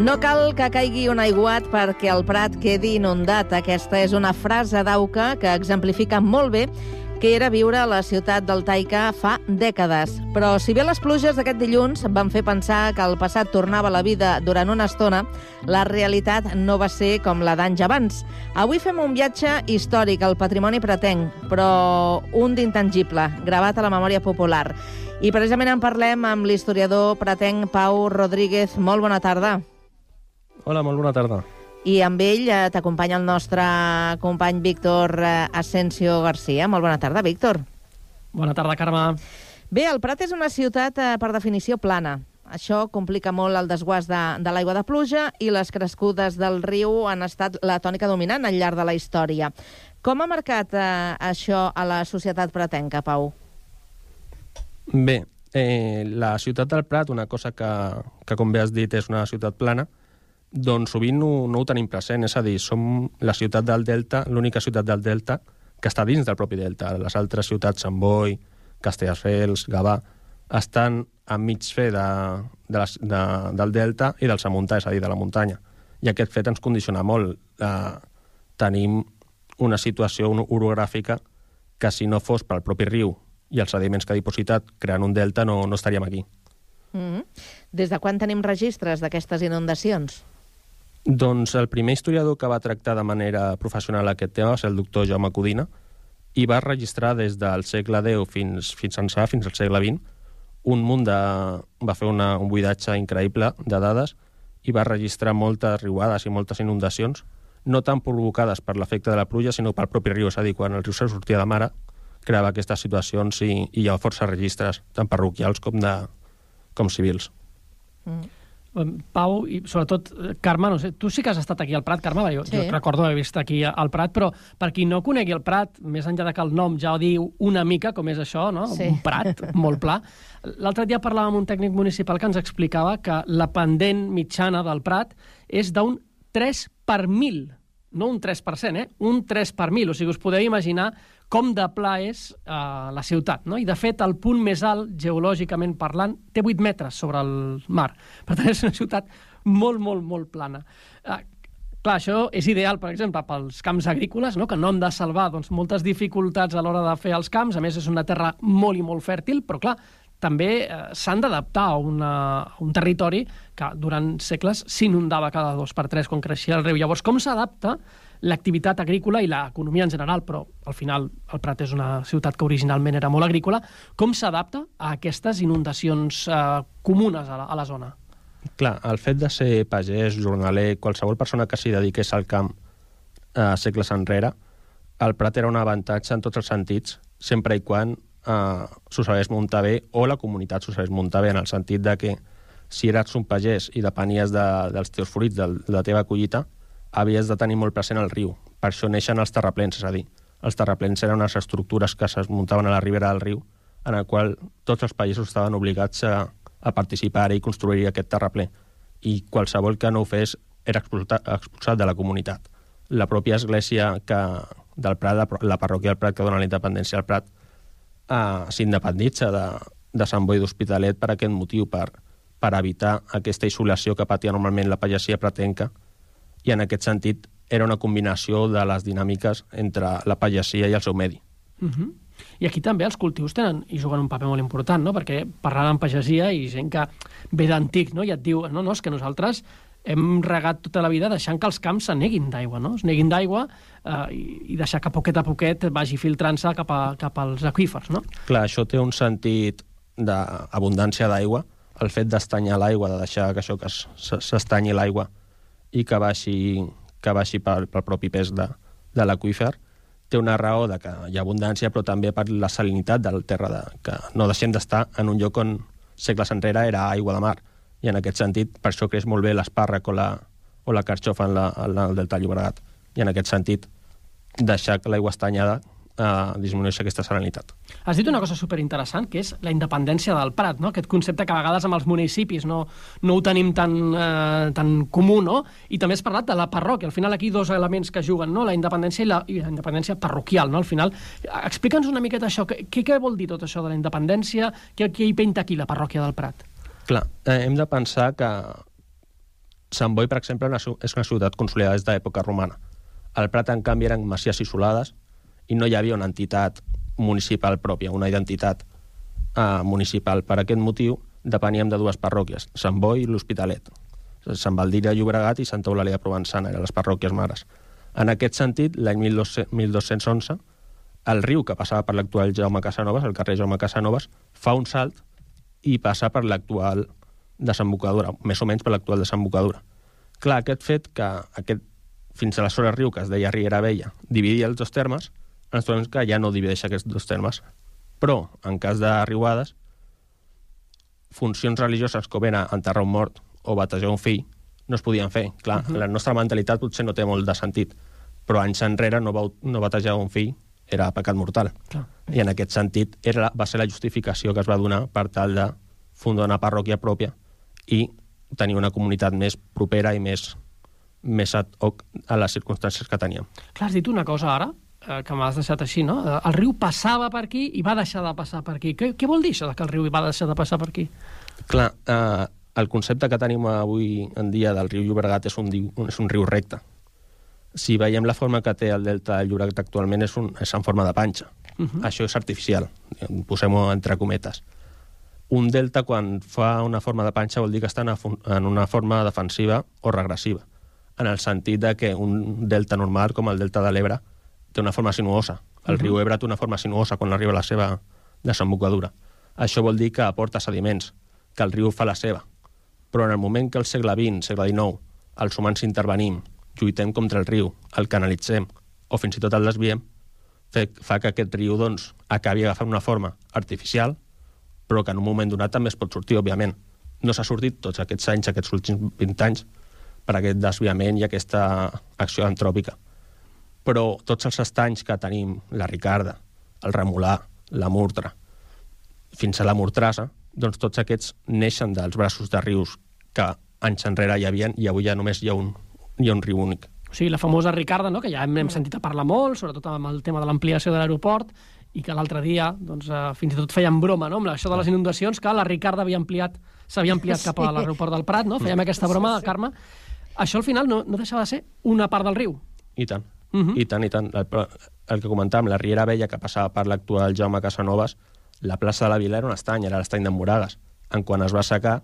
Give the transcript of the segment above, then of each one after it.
No cal que caigui un aiguat perquè el Prat quedi inundat. Aquesta és una frase d'Auca que exemplifica molt bé que era viure a la ciutat del Taica fa dècades. Però si bé les pluges d'aquest dilluns van fer pensar que el passat tornava a la vida durant una estona, la realitat no va ser com la d'anys abans. Avui fem un viatge històric al patrimoni pratenc, però un d'intangible, gravat a la memòria popular. I precisament en parlem amb l'historiador pratenc Pau Rodríguez. Molt bona tarda. Hola, molt bona tarda. I amb ell t'acompanya el nostre company Víctor Asensio García. Molt bona tarda, Víctor. Bona tarda, Carme. Bé, el Prat és una ciutat, per definició, plana. Això complica molt el desguàs de l'aigua de pluja i les crescudes del riu han estat la tònica dominant al llarg de la història. Com ha marcat això a la societat pratenca, Pau? Bé, la ciutat del Prat, una cosa que com bé has dit, és una ciutat plana, doncs sovint no ho tenim present, és a dir, som la ciutat del Delta, l'única ciutat del Delta que està dins del propi Delta. Les altres ciutats, Sant Boi, Castelldefels, Gavà, estan a mig fer del Delta i del Samuntà, és a dir, de la muntanya. I aquest fet ens condiciona molt. Tenim una situació orogràfica que si no fos pel propi riu i els sediments que ha dipositat creant un delta no estaríem aquí. Des de quan tenim registres d'aquestes inundacions? Doncs el primer historiador que va tractar de manera professional aquest tema va ser el doctor Jaume Codina i va registrar des del segle X fins al segle XX un munt va fer un buidatge increïble de dades i va registrar moltes riuades i moltes inundacions, no tan provocades per l'efecte de la pluja, sinó pel propi riu, és a dir, quan el riu se sortia de mare, creava aquestes situacions i hi ha força registres, tant parroquials com civils. Pau, i sobretot, Carme, no sé, tu sí que has estat aquí al Prat, Carme, jo recordo haver vist aquí al Prat, però per qui no conegui el Prat, més enllà que el nom ja ho diu una mica, com és això, no? Sí. Un Prat molt pla. L'altre dia parlàvem amb un tècnic municipal que ens explicava que la pendent mitjana del Prat és d'un 3 per 1.000, no un 3%, un 3 per 1.000, o sigui, us podeu imaginar com de pla és la ciutat, no? I, de fet, el punt més alt, geològicament parlant, té 8 metres sobre el mar. Per tant, és una ciutat molt, molt, molt plana. Clar, això és ideal, per exemple, pels camps agrícoles, no? Que no han de salvar moltes dificultats a l'hora de fer els camps. A més, és una terra molt i molt fèrtil, però, clar, també s'han d'adaptar a un territori que durant segles s'inundava cada 2 per 3 quan creixia el riu. Llavors, com s'adapta l'activitat agrícola i l'economia en general, però al final el Prat és una ciutat que originalment era molt agrícola, com s'adapta a aquestes inundacions comunes a la zona? Clar, el fet de ser pagès, jornaler, qualsevol persona que s'hi dediqués al camp segles enrere, el Prat era un avantatge en tots els sentits, sempre i quan s'ho sabés muntar bé, o la comunitat s'ho sabés muntar bé, en el sentit de que si eres un pagès i depenies dels teus fruits, de la teva collita, havies de tenir molt present el riu. Per això neixen els terraplens, és a dir, els terraplens eren unes estructures que es muntaven a la ribera del riu, en el qual tots els països estaven obligats a participar i construir aquest terraplè. I qualsevol que no ho fes era expulsat de la comunitat. La pròpia església del Prat, la parròquia del Prat que dona la independència al Prat, s'independitza de Sant Boi d'Hospitalet per aquest motiu, per evitar aquesta isolació que patia normalment la pagesia pratenca, i en aquest sentit era una combinació de les dinàmiques entre la pagesia i el seu medi. I aquí també els cultius tenen i juguen un paper molt important, no? Perquè parlant amb pagesia i gent que ve d'antic, no? I et diu, no, és que nosaltres hem regat tota la vida deixant que els camps se neguin d'aigua, no? Es neguin d'aigua i deixar que poquet a poquet vagi filtrant-se cap als aqüífers, no? Clar, això té un sentit d'abundància d'aigua, el fet d'estanyar l'aigua, de deixar que això que s'estanyi l'aigua i que baixi pel propi pes de l'aqüífer, té una raó de que hi ha abundància, però també per la salinitat del terra, que no deixem d'estar en un lloc on segles enrere era aigua de mar. I en aquest sentit, per això creix molt bé l'espàrrec o la carxofa en el delta del Llobregat. I en aquest sentit, deixar que l'aigua estanyada disminueix aquesta salinitat. Has dit una cosa superinteressant, que és la independència del Prat, no? Aquest concepte que a vegades amb els municipis no ho tenim tan comú, no? I també has parlat de la parròquia. Al final aquí dos elements que juguen, no? La independència i la independència parroquial, no? Al final, explica'ns una miqueta això. Què vol dir tot això de la independència? Què hi pinta aquí la parròquia del Prat? Clar, hem de pensar que Sant Boi, per exemple, és una ciutat consolidada des d'època romana. El Prat, en canvi, eren masies isolades i no hi havia una entitat municipal pròpia, una identitat municipal. Per aquest motiu, depeníem de dues parròquies, Sant Boi i l'Hospitalet. Sant Baldiri de Llobregat i Santa Eulàlia de Provençana, eren les parròquies mares. En aquest sentit, l'any 1211, el riu que passava per l'actual Jaume Casanovas, el carrer Jaume Casanovas, fa un salt i passa per l'actual desembocadura, més o menys per l'actual desembocadura. Clar, aquest fet que fins aleshores riu, que es deia Riera Vella, dividia els dos termes, ens trobem que ja no divideix aquests dos termes. Però, en cas de riuades, funcions religioses com era enterrar un mort o batejar un fill no es podien fer. Clar, la nostra mentalitat potser no té molt de sentit, però anys enrere no batejar un fill era pecat mortal. Clar. I en aquest sentit va ser la justificació que es va donar per tal de fundar una parròquia pròpia i tenir una comunitat més propera i més ad hoc a les circumstàncies que teníem. Clar, has dit una cosa ara, que m'has deixat així, no? El riu passava per aquí i va deixar de passar per aquí. Què vol dir això, que el riu va deixar de passar per aquí? Clar, el concepte que tenim avui en dia del riu Llobregat és un riu recte. Si veiem la forma que té el delta del Llobregat actualment és en forma de panxa. Això és artificial, posem-ho entre cometes. Un delta, quan fa una forma de panxa, vol dir que està en una forma defensiva o regressiva, en el sentit de que un delta normal, com el delta de l'Ebre, té una forma sinuosa. El riu Ebre té una forma sinuosa quan arriba a la seva desembocadura. Això vol dir que aporta sediments, que el riu fa la seva. Però en el moment que al segle XX, segle XIX, els humans intervenim, lluitem contra el riu, el canalitzem, o fins i tot el desviem, fa que aquest riu acabi agafant una forma artificial, però que en un moment donat també es pot sortir, òbviament. No s'ha sortit tots aquests anys, aquests últims 20 anys, per aquest desviament i aquesta acció antròpica. Però tots els estanys que tenim, la Ricarda, el Remolà, la Murtra, fins a la Mortrassa, doncs tots aquests neixen dels braços de rius que anys enrere hi havia i avui ja només hi ha un riu únic. O sigui, la famosa Ricarda, no?, que ja hem sentit a parlar molt, sobretot amb el tema de l'ampliació de l'aeroport, i que l'altre dia fins i tot feien broma, no?, amb això de les inundacions, que la Ricarda s'havia ampliat cap a l'aeroport del Prat, no? Fèiem aquesta broma, Carme. Això al final no deixava de ser una part del riu. I tant. I tant. El que comentàvem, la Riera Vella, que passava per l'actual Jaume Casanovas, la plaça de la Vila era un estany, era l'estany d'en Moragues. Quan es va assecar,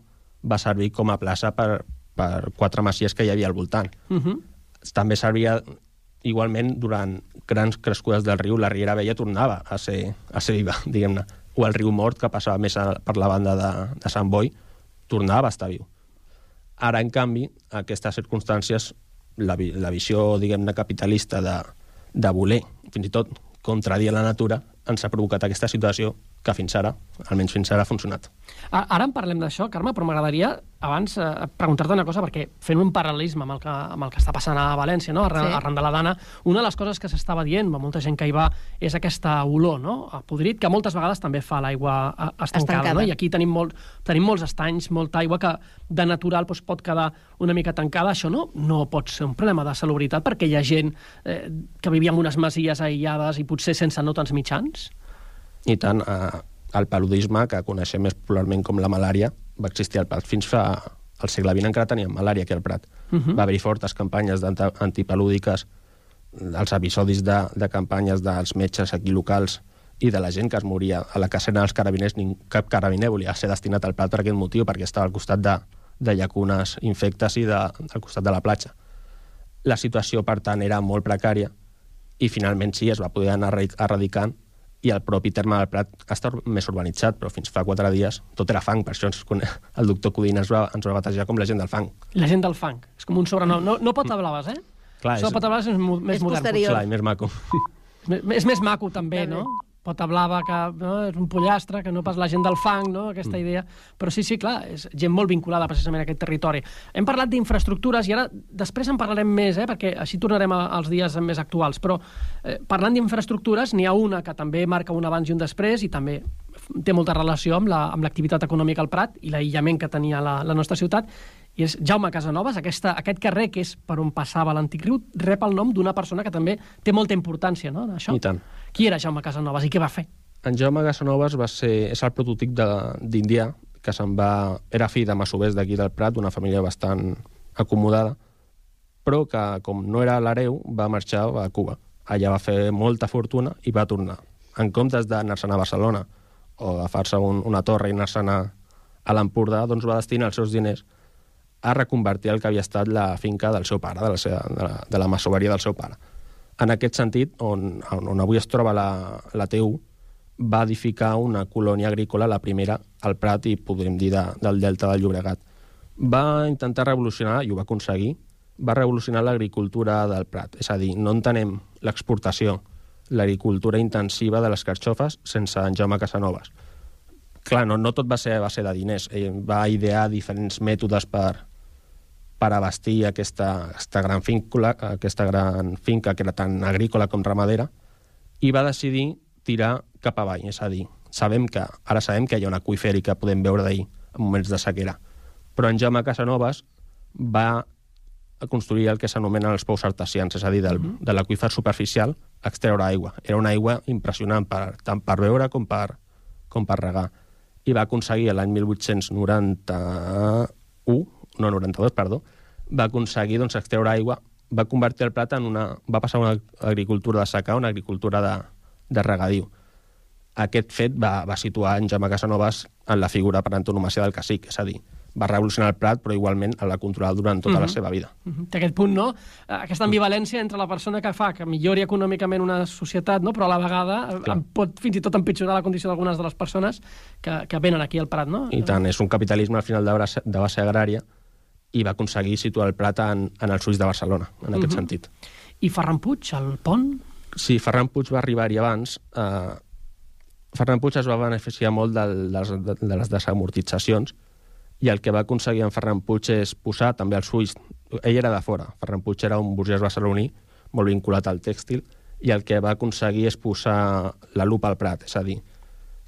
va servir com a plaça per 4 masies que hi havia al voltant. També servia, igualment, durant grans crescudes del riu, la Riera Vella tornava a ser viva, diguem-ne. O el riu Mort, que passava més per la banda de Sant Boi, tornava a estar viu. Ara, en canvi, aquestes circumstàncies, la visió, diguem-ne, capitalista de voler, fins i tot contradir la natura, ens ha provocat aquesta situació que fins ara, almenys fins ara, ha funcionat. Ara en parlem d'això, Carme, però m'agradaria abans preguntar-te una cosa, perquè fent un paral·lelisme amb el que està passant a València, no? Arran de la Dana, una de les coses que s'estava dient, molta gent que hi va, és aquesta olor, no?, a podrit, que moltes vegades també fa l'aigua estancada, no? I aquí tenim molts estanys, molta aigua que de natural pot quedar una mica tancada. Això no pot ser un problema de salubritat, perquè hi ha gent que vivia en unes masies aïllades i potser sense no tants mitjans? I tant, el paludisme, que coneixem més popularment com la malària, va existir al Prat. Fins al segle XX encara teníem malària aquí al Prat. Va haver-hi fortes campanyes antipalúdiques, els episodis de campanyes dels metges aquí locals i de la gent que es moria a la casena dels carabiners. Cap carabiner volia ser destinat al Prat per aquest motiu, perquè estava al costat de llacunes infectes i al costat de la platja. La situació, per tant, era molt precària i finalment sí, es va poder anar erradicant i el propi terme del Prat està més urbanitzat, però fins fa 4 dies tot era fang. Per això el doctor Codina ens va batejar com la gent del fang. La gent del fang. És com un sobrenom. No Potablaves, eh? Clar, Potablaves és més modern. Clar, i més maco. És més maco, també, no? Potablava, que és un pollastre, que no pas la gent del fang, no?, aquesta idea. Però sí, clar, és gent molt vinculada precisament a aquest territori. Hem parlat d'infraestructures i ara després en parlarem més, perquè així tornarem als dies més actuals. Però parlant d'infraestructures, n'hi ha una que també marca un abans i un després i també té molta relació amb l'activitat econòmica al Prat i l'aïllament que tenia la nostra ciutat, i és Jaume Casanovas. Aquest carrer, que és per on passava l'antic riu, rep el nom d'una persona que també té molta importància, no?, en això. I tant. Qui era Jaume Casanovas i què va fer? En Jaume Casanovas és el prototip d'indià, que era fill de masovers d'aquí del Prat, d'una família bastant acomodada, però que, com no era l'hereu, va marxar a Cuba. Allà va fer molta fortuna i va tornar. En comptes d'anar-se'n a Barcelona o agafar-se una torre i anar-se'n a l'Empordà, doncs va destinar els seus diners a reconvertir el que havia estat la finca del seu pare, de la masoveria del seu pare. En aquest sentit, on avui es troba la TU, va edificar una colònia agrícola, la primera, al Prat, i podríem dir del Delta del Llobregat. Va intentar revolucionar, i ho va aconseguir, va revolucionar l'agricultura del Prat. És a dir, no entenem l'exportació, l'agricultura intensiva de les carxofes sense en Jaume Casanovas. Clar, no tot va ser a base de diners. Ell va idear diferents mètodes per abastir aquesta gran finca que era tant agrícola com ramadera, i va decidir tirar cap avall. És a dir, ara sabem que hi ha un aqüífer i que podem veure d'ahir en moments de sequera. Però en Jaume Casanovas va construir el que s'anomenen els pous artesians, és a dir, de l'aqüífer superficial extreure aigua. Era una aigua impressionant tant per beure com per regar. I va aconseguir l'any 1892, va aconseguir extreure aigua, va convertir el Prat va passar a una agricultura de secà a una agricultura de regadiu. Aquest fet va situar en Jaume Casanovas en la figura per antonomàsia del cacic, és a dir, va revolucionar el Prat, però igualment el va controlar durant tota la seva vida. Té aquest punt, no? Aquesta ambivalència entre la persona que fa que millori econòmicament una societat, no? Però a la vegada pot fins i tot empitjorar la condició d'algunes de les persones que venen aquí al Prat, no? I tant, és un capitalisme al final de base agrària, i va aconseguir situar el Prat en els ulls de Barcelona, en aquest sentit. I Ferran Puig, el pont? Sí, Ferran Puig va arribar-hi abans. Ferran Puig es va beneficiar molt de les desamortitzacions, i el que va aconseguir en Ferran Puig és posar també els ulls... Ell era de fora, Ferran Puig era un burgès barceloní molt vinculat al tèxtil, i el que va aconseguir és posar la lupa al Prat, és a dir,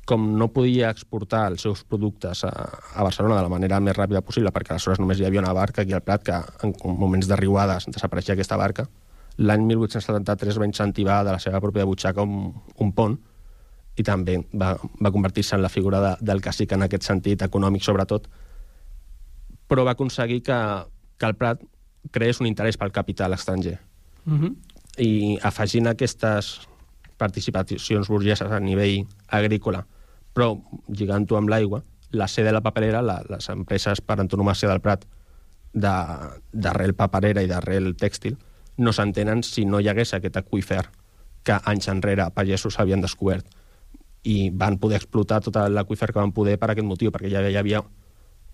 com no podia exportar els seus productes a Barcelona de la manera més ràpida possible, perquè aleshores només hi havia una barca aquí al Prat, que en moments de riuades desapareixia aquesta barca, l'any 1873 va incentivar de la seva pròpia butxaca un pont, i també va convertir-se en la figura del cacic en aquest sentit, econòmic sobretot, però va aconseguir que el Prat creés un interès pel capital estranger. I afegint aquestes participacions burgeses a nivell agrícola, però lligant-ho amb l'aigua, la C de la paperera, les empreses per antonomàsia del Prat d'arrel paperera i d'arrel tèxtil, no s'entenen si no hi hagués aquest aqüífer que anys enrere pagesos havien descobert, i van poder explotar tot l'aqüífer que van poder per aquest motiu, perquè ja hi havia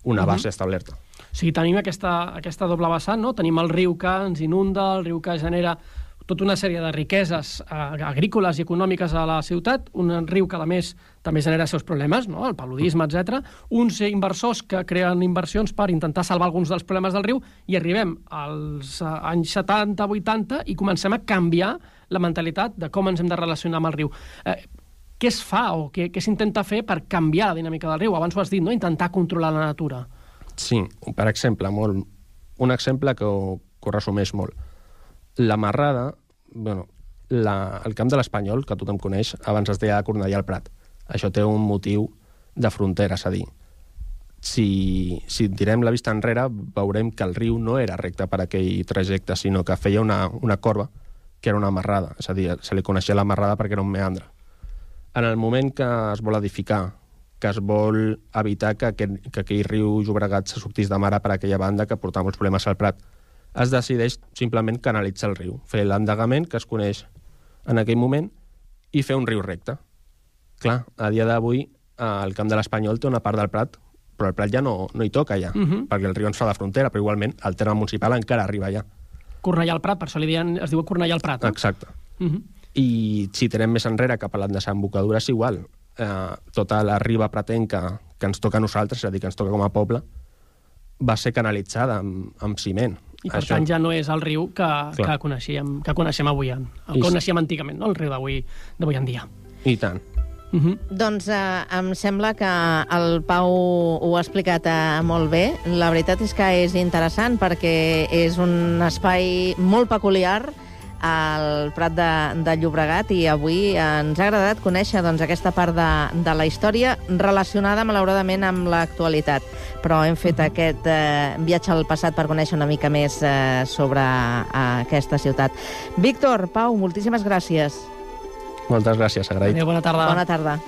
una base establerta. O sigui, tenim aquesta doble vessant, no? Tenim el riu que ens inunda, el riu que genera tota una sèrie de riqueses agrícoles i econòmiques a la ciutat, un riu que, a més, també genera els seus problemes, no? El paludisme, etc. Uns inversors que creen inversions per intentar salvar alguns dels problemes del riu, i arribem als anys 70-80 i comencem a canviar la mentalitat de com ens hem de relacionar amb el riu. Què es fa o què s'intenta fer per canviar la dinàmica del riu? Abans ho has dit, no? Intentar controlar la natura. Sí, per exemple, un exemple que ho resumeix molt. La marrada, el camp de l'Espanyol, que tothom coneix, abans es deia Cornellà al Prat. Això té un motiu de frontera, és a dir, si tirem la vista enrere, veurem que el riu no era recte per aquell trajecte, sinó que feia una corba, que era una marrada. És a dir, se li coneixia la marrada perquè era un meandre. En el moment que es vol edificar, que es vol evitar que aquell riu Llobregat se sortís de mare per aquella banda que portava molts problemes al Prat, es decideix simplement canalitzar el riu, fer l'endegament que es coneix en aquell moment i fer un riu recte. Clar, a dia d'avui el Camp de l'Espanyol té una part del Prat, però el Prat ja no hi toca ja, perquè el riu ens fa de frontera, però igualment el terme municipal encara arriba allà. Cornellà al Prat, per això es diu Cornellà al Prat, no? Exacte. I si tirem més enrere cap a la desembocadura és igual. Tota la riba pratenca que ens toca a nosaltres, és a dir, que ens toca com a poble, va ser canalitzada amb ciment. I per tant ja no és el riu que coneixem avui, que coneixem antigament, no? El riu d'avui en dia. I tant. Doncs em sembla que el Pau ho ha explicat molt bé. La veritat és que és interessant perquè és un espai molt peculiar, al Prat de Llobregat, i avui ens ha agradat conèixer doncs, aquesta part de la història relacionada, malauradament, amb l'actualitat. Però hem fet aquest viatge al passat per conèixer una mica més sobre aquesta ciutat. Víctor, Pau, moltíssimes gràcies. Moltes gràcies, agraït. Adéu, bona tarda. Bona tarda.